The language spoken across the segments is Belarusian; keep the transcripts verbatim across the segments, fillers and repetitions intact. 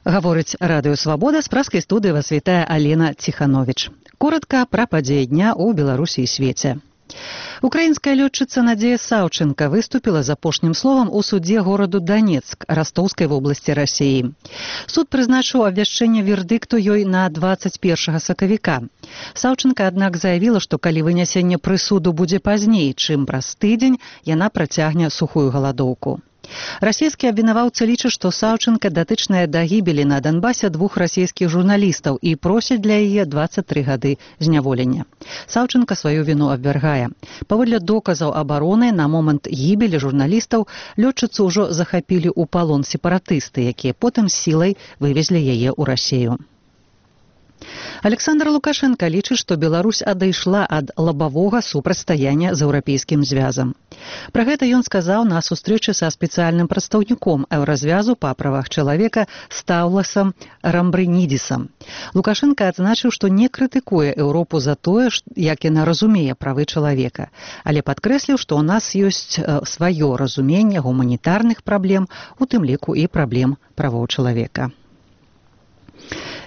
Гаворыць радыё «Свабода», з праскай студыі вас вітае Алена Ціхановіч. Коротка пра падзеі дня ў Беларусі і свеце. Украінская лётчыца Надзея Саўчэнка выступіла з апошнім словам у судзе гораду Донецк Ростаўскай вобласці Расіі. Суд прызначыў абвяшчэнне вердыкту ёй на дваццаць першага сакавіка. Саўчэнка, аднак, заявіла, што калі вынясенне прысуду будзе пазней, чым праз тыдзень, яна працягне сухую галадоўку. Расійскія абвінаваўцы лічаць, што Саўчэнка датычная да гібелі на Донбасе двух расійскіх журналістаў і просяць для яе дваццаць тры гады зняволення. Саўчэнка сваю віну абвяргае. Паводле доказаў абароны, на момант гібелі журналістаў лётчыцу ўжо захапілі ў палон сепаратысты, якія потым сілай вывезлі яе ў Расію. Александр Лукашенко лічыць, што Беларусь адайшла ад лабавога супрацьстаяння з еўрапейскім звязам. Пра гэта ён сказаў на сустрэчы са спецыяльным прадстаўніком еўразвязу па правах чалавека Стаўласам Рамбрынідзісам. Лукашенко адзначыў, што не крытыкуе Еўропу за тое, як яна разумее правы чалавека, але падкрэсліў, што ў нас ёсць сваё разуменне гуманітарных праблем, у тым ліку і праблем правоў чалавека.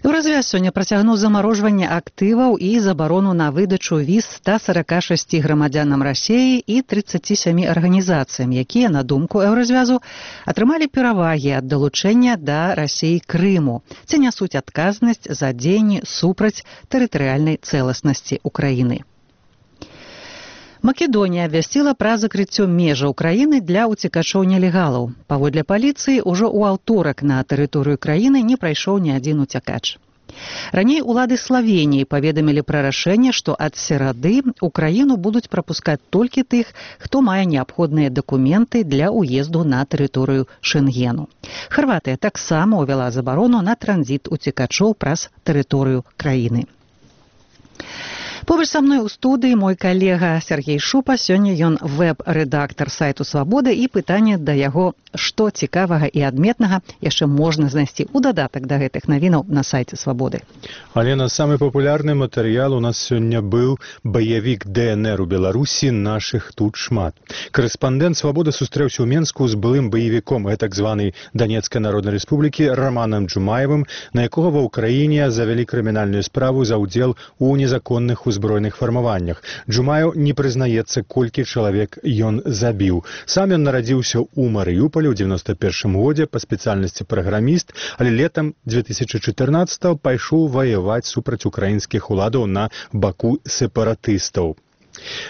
Еўразвяз сёння працягнуў замарожванне актываў і забарону на выдачу віз ста сарака шасці грамадзянам Расіі і трыццаці сямі арганізацыям, якія, на думку Еўразвязу, атрымалі перавагі ад далучэння да Расіі Крыму, ці нясуць адказнасць за дзеянні супраць тэрытарыяльнай цэласнасці Украіны. Македонія абвясціла пра закрыццё межаў краіны для уцекачоў-нелегалаў. Паводле паліцыі, ужо ў аўторак на тэрыторыю краіны не прайшоў ні адзін уцякач. Раней улады Славеніі паведамілі пра рашэнне, што ад серады ў краіну будуць прапускаць толькі тых, хто мае неабходныя дакументы для ўезду на тэрыторыю Шэнгену. Харватыя таксама ўвяла забарону на транзіт уцекачоў праз тэрыторыю краіны. Побач са мной у студыі мой калега Сергей Шупа. Сёння ён вэб-рэдактар сайту «Свабода», і пытанне да яго, што цікавага і адметнага яшчэ можна знайсці ў дадатак да гэтых навінаў на сайце «Свабоды». Алена, самы папулярны матэрыял у нас сёння быў баявік дэ эн эр у Беларусі «Нашых тут шмат». Корэспандэнт «Свабоды» сустрэўся ў Менску з былым баевіком так званай Донецкай народнай рэспублікі Романам Джумаевым, на якога ва ўкраіне завялі крымінальную справу за ўдзел у незаконных узброеных фармаваннях. Джумаев не прызнаецца, колькі чалавек ён забіў. Сам ён нарадзіўся ў Марыюполі ў дзевяноста першым годзе па спецыяльнасці праграміст, але летам дзве тысячы чатырнаццатага пайшоў ваяваць супраць украінскіх уладаў на баку сепаратыстаў.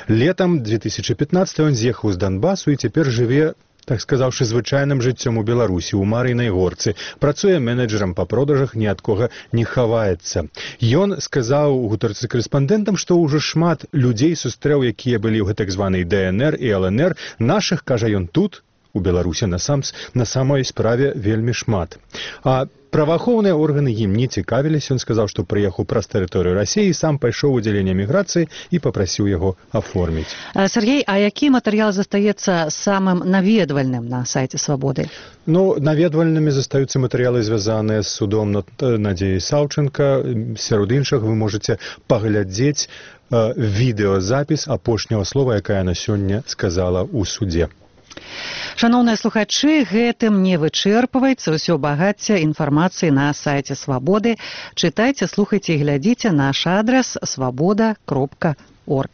Летам дзве тысячы пятнаццатага ён з'ехаў з Донбасу і цяпер жыве, так сказаўшы, звычайным жыццём у Беларусі, у Марыйнай горцы. Працуе менеджерам па продажах, ні ад кога не хаваецца. Ён сказаў у гутарцы карэспандэнтам, што ўжо шмат людзей сустрэў, якія былі ў гэтак званай дэ эн эр і эл эн эр. Нашых, кажа ён, тут, у Беларусі, на, сам, на самой справе вельмі шмат. А праваахоўныя органы ім не цікавіліся. Ён сказаў, што прыехаў праз тэрыторыю Расіі, сам пайшоў у аддзяленне міграцыі і папрасіў яго аформіць. Сергей, а які матэрыял застаецца самым наведвальным на сайце «Свабоды»? Ну, наведвальнымі застаюцца матэрыялы, звязаныя з судом над Надзеяй Саўчэнка. Сярод іншых вы можаце паглядзець э, відэазапіс апошняга слова, якая яна сёння сказала ў судзе. Шаноўныя слухачы, гэтым не вычэрпваецца ўсё багацце інфармацыі на сайце «Свабоды». Чытайце, слухайце і глядзіце наш адрас свабода кропка орг.